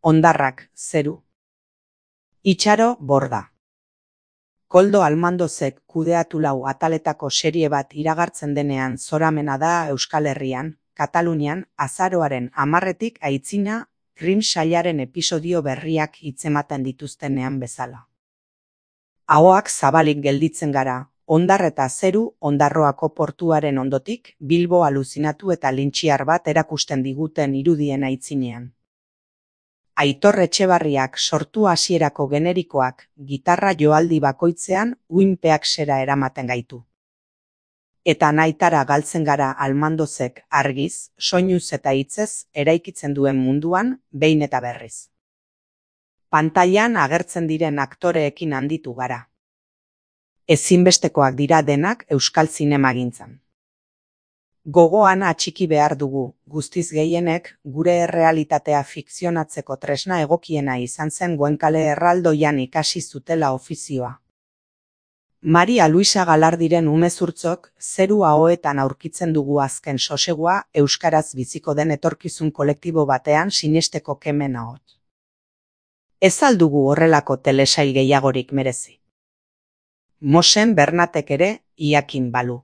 Hondarrak, zeru. Itxaro, borda. Koldo Almandozek kudeatu lau ataletako serie bat iragartzen denean zoramena da Euskal Herrian, Katalunian, azaroaren 10 aitzina, Krim sailaren episodio berriak hitzematen dituztenean bezala. Ahoak zabalik gelditzen gara, hondar eta zeru Ondarroako portuaren ondotik, Bilbo aluzinatu eta lintxiar bat erakusten diguten irudien aitzinean. Aitor Etxebarriak sortu hasierako generikoak gitarra joaldi bakoitzean uinpeak sera eramaten gaitu. Eta nahitara galtzen gara Almandozek argiz, soinuz eta hitzez eraikitzen duen munduan behin eta berriz. Pantailan agertzen diren aktoreekin handitu gara. Ezinbestekoak dira denak euskal zinemagintzan. Gogoan atxiki behar dugu, guztiz gehienek gure errealitatea fikzionatzeko tresna egokiena izan zen Goenkale erraldoian ikasi zutela ofizioa. Maria Luisa Galardiren umezurtzok zeru ahoetan aurkitzen dugu azken sosegua euskaraz biziko den etorkizun kolektibo batean sinesteko kemen ahot. Ez al dugu horrelako telesail gehiagorik merezi? Mosen Bernatek ere iakin balu.